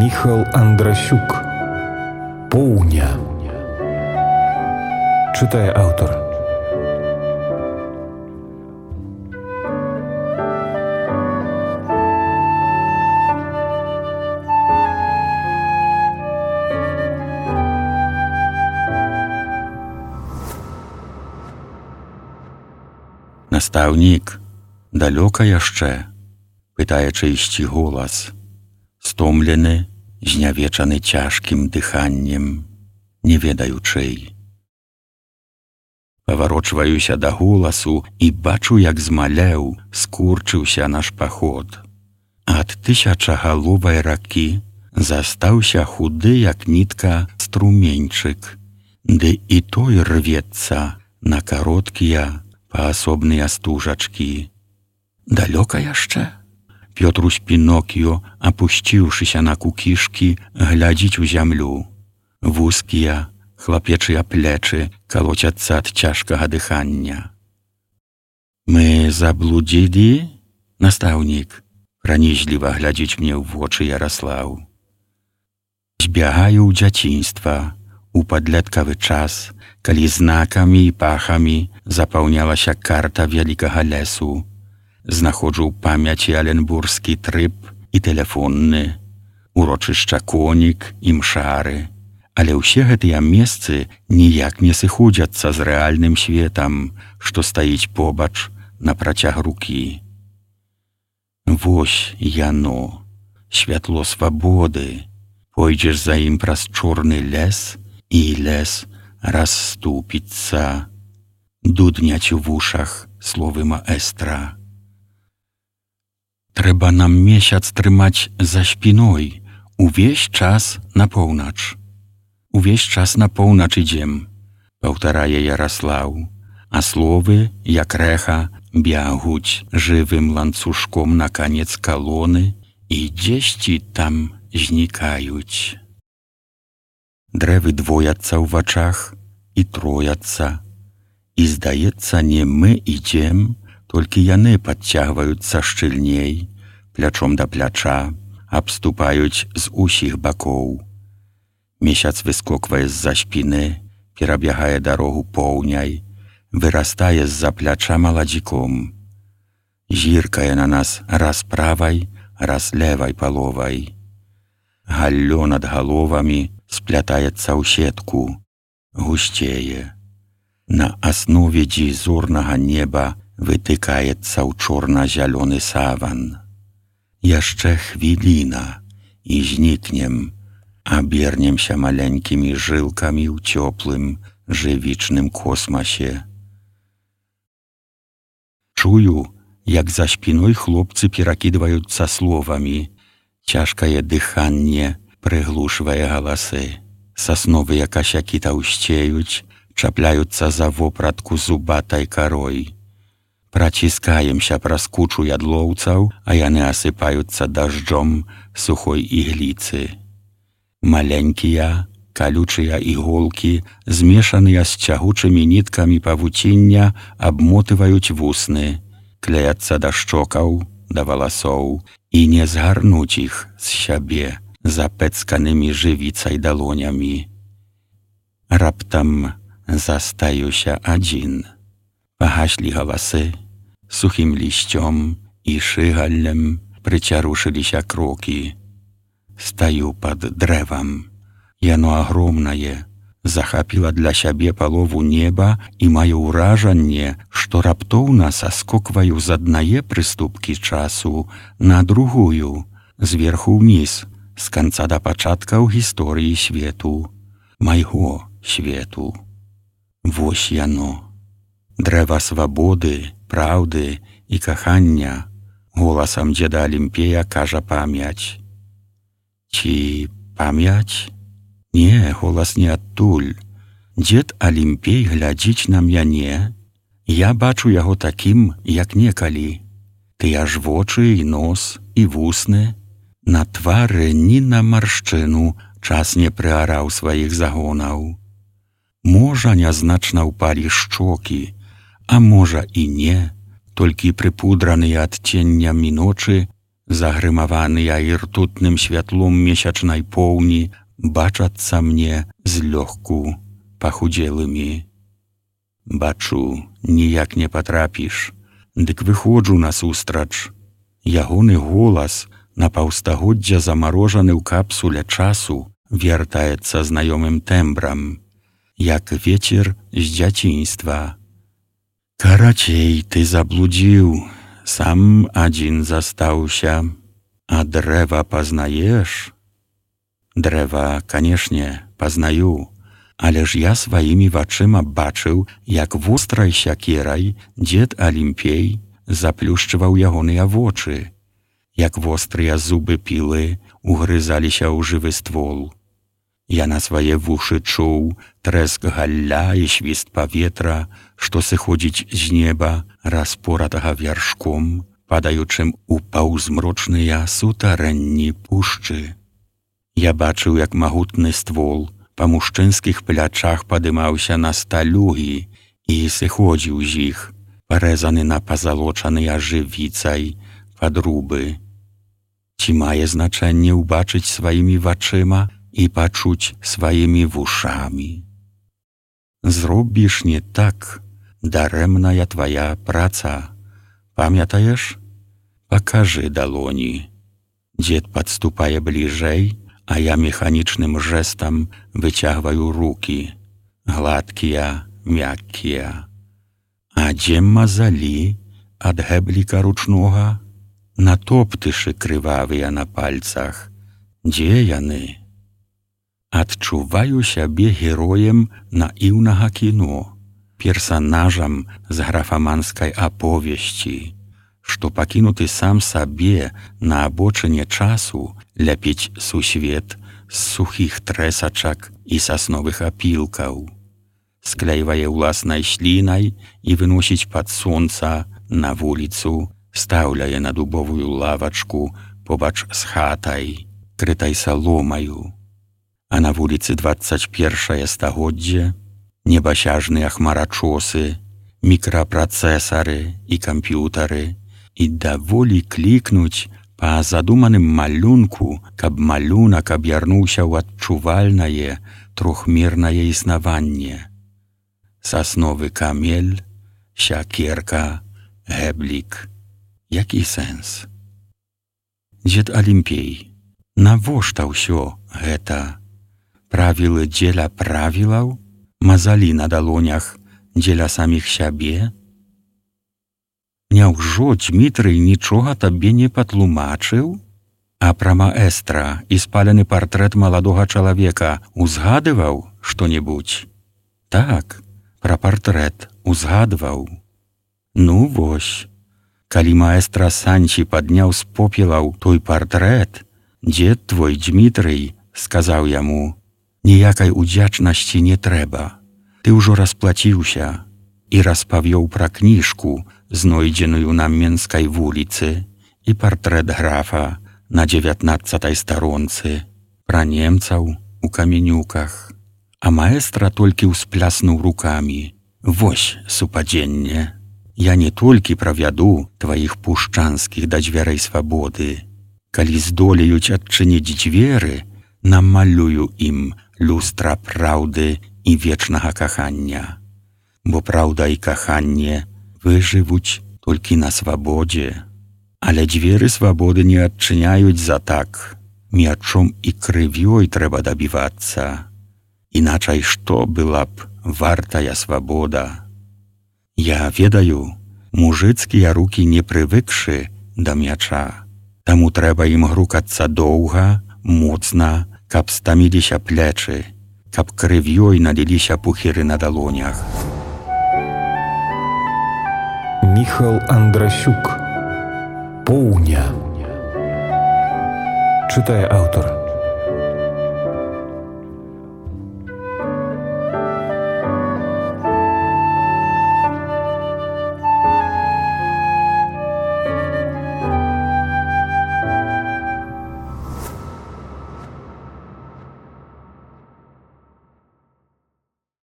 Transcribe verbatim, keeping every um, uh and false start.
Міхал Андрасюк. Поўня. Чытае аўтар. Настаўнік, далёка яшчэ? Пытае чыйсьці голас. Стомлены, знявечаны цяжкім дыханнем, не ведаю чый. Паварочваюся да голасу і бачу, як змалеў, скурчыўся наш паход. Ад тысячагаловай ракі застаўся худы, як нітка, струменьчык, ды і той рвецца на кароткія паасобныя стужачкі. Далёка яшчэ? Пётрусь Пінокіо, апусціўшыся на кукішкі, глядзіць у зямлю. Вузкія, хлапечыя плечы калоцяцца ад цяжкага дыхання. Мы заблудзілі? Настаўнік, пранізліва глядзіць мне ў вочы Яраслаў. Збягаю ў дзяцінства, у падлеткавы час, калі знакамі і пахамі запаўнялася карта вялікага лесу. Знаходжу ў памяці аленбурскі трып і тэлефонны, урочышча Конік і Мшары. Але ўсе гэтыя месцы ніяк не сыходзяцца з рэальным светам, што стаіць побач на працяг рукі. Вось яно, святло свабоды. Пойдзеш за ім праз чорны лес, і лес расступіцца. Дудняць у вушах словы маэстра. Трэба нам месяц трымаць за спіной, увесь час на поўнач. Увесь час на поўнач ідзем, паўтарае Яраслаў, а словы, як рэха, бягуць жывым ланцужком на канец калоны і дзесьці там знікаюць. Дрэвы двояцца ў вачах і трояцца, і, здаецца, не мы ідзем, толькі яны падцягваюцца шчыльней, плячом да пляча, абступаюць з усіх бакоў. Месяц выскоквае з-за спіны, перабягае дарогу поўняй, вырастае з-за пляча маладзіком. Зіркае на нас раз правай, раз левай паловай. Галлё над галовамі сплятаецца ў сетку, гусцее. На аснове дзізорнага неба вытыкаецца ў чорна-зялёны саван. Яшчэ хвіліна, і знікнем, абернемся маленькімі жылкамі ў цёплым, жывічным космасе. Чую, як за спіной хлопцы перакідваюцца словамі. Цяжкае дыханне прыглушвае галасы. Сасновыя касякі таўсцеюць, чапляюцца за вопратку зубатай карой. Праціскаемся праз кучу ядлоўцаў, а яны асыпаюцца дажджом сухой ігліцы. Маленькія, калючыя іголкі, змешаныя з цягучымі ніткамі павуціння, абмотываюць вусны, клеяцца да шчокаў, да валасоў, і не згарнуць іх з сябе запэцканымі жывіцай далонямі. Раптам застаюся адзін. Пагаслі галасы, сухім лісцём і шыгаллем прыцярушыліся крокі. Стаю пад дрэвам. Яно агромнае, захапіла для сябе палову неба і маю ўражанне, што раптоўна саскокваю з аднае прыступкі часу на другую, зверху ўніз, з канца да пачаткаў гісторыі свету, майго свету. Вось яно. Дрэва свабоды, праўды і кахання, голасам дзеда Алімпея кажа памяць. Ці памяць? Не, голас не адтуль. Дзед Алімпей глядзіць на мяне. Я бачу яго такім, як некалі. Тыя ж вочы і нос, і вусны. На твары ні на маршчыну час не прыараў сваіх загонаў. Можа, нязначна ўпалі шчокі, а можа і не, толькі прыпудраныя адценнямі ночы загрымаваныя іртутным святлом месячнай поўні, бачацца мне злёгку пахудзелымі. Бачу, ніяк не патрапіш, дык выходжу насустрач. Ягоны голас на паўстагоддзя замарожаны ў капсуле часу вяртаецца знаёмым тэмбрам, як вецер з дзяцінства. Карацей, ты заблудзіў, сам адзін застаўся, а дрэва пазнаеш? Дрэва, канешне, пазнаю, але ж я сваімі вачыма бачыў, як вострай сякерай дзед Алімпей заплюшчваў ягоныя вочы, як вострыя зубы пілы угрызаліся ў жывы ствол. Я на свае вушы чуў трэск галля і свіст паветра, што сыходзіць з неба, распоратага вяршком, падаючым у паўзмрочныя сутарэнні пушчы. Я бачыў, як магутны ствол па мужчынскіх плячах падымаўся на сталюгі і сыходзіў з іх, парэзаны на пазалочаныя жывіцай падрубы. Ці мае значэнне ўбачыць сваімі вачыма і пачуць сваімі вушамі? Зробіш не так, дарэмная твая праца. Памятаеш? Пакажы далоні. Дзед падступае бліжэй, а я механічным жэстам выцягваю рукі, гладкія, мяккія. А дзе мазалі ад гэбліка ручнога? Натоптышы крывавыя на пальцах. Дзе яны? Адчуваю сябе героем наіўнага кіно, персанажам з графаманскай аповесці, што пакінуты сам сабе на абочыне часу ляпіць сусвет з сухіх трэсачак і сасновых апілкаў, склейвае ўласнай слінай і выносіць пад сонца на вуліцу, стаўляе на дубовую лавачку побач з хатай, крытай саломаю. А на вуліцы дваццаць першае стагоддзе небасяжныя хмарачосы, мікрапрацэсары і камп'ютары, і даволі клікнуць па задуманым малюнку, каб малюнак аб'ярнуўся ў адчувальнае трохмернае існаванне. Сасновы камель, сякерка, гэблік. Які сэнс? Дзед Алімпей, навошта ўсё гэта? Правілы дзеля правілаў? Мазалі на далонях дзеля саміх сябе? Няўжо Дзмітрый нічога табе не патлумачыў? А пра маэстра і спалены партрэт маладога чалавека узгадываў што-небудзь? Так, пра партрэт узгадваў. Ну вось, калі маэстра Санчі падняў з попелаў той партрэт, дзед твой Дзмітрый сказаў яму: «Ніякай удзячнасці не трэба. Ты ўжо расплаціўся», і распавёў пра кніжку, знойдзеную на Менскай вуліцы, і партрэт графа на дзевятнаццатай старонцы, пра немцаў у каменюках. А маэстра толькі ўспляснуў рукамі: «Вось супадзенне. Я не толькі правяду тваіх пушчанскіх да дзвярэй свабоды. Калі здолеюць адчыніць дзверы, намалюю ім люстра праўды і вечнага кахання. Бо праўда і каханне выжывуць толькі на свабодзе. Але дзверы свабоды не адчыняюць за так. Мячом і крывёй трэба дабівацца. Іначай што была б вартая свабода? Я ведаю, мужыцкія рукі не прывыкшы да мяча. Таму трэба ім грукацца доўга, моцна, каб стаміліся плечы, каб крывёй наліліся пухіры на далонях. Міхал Андрасюк. Поўня. Чытае аўтар.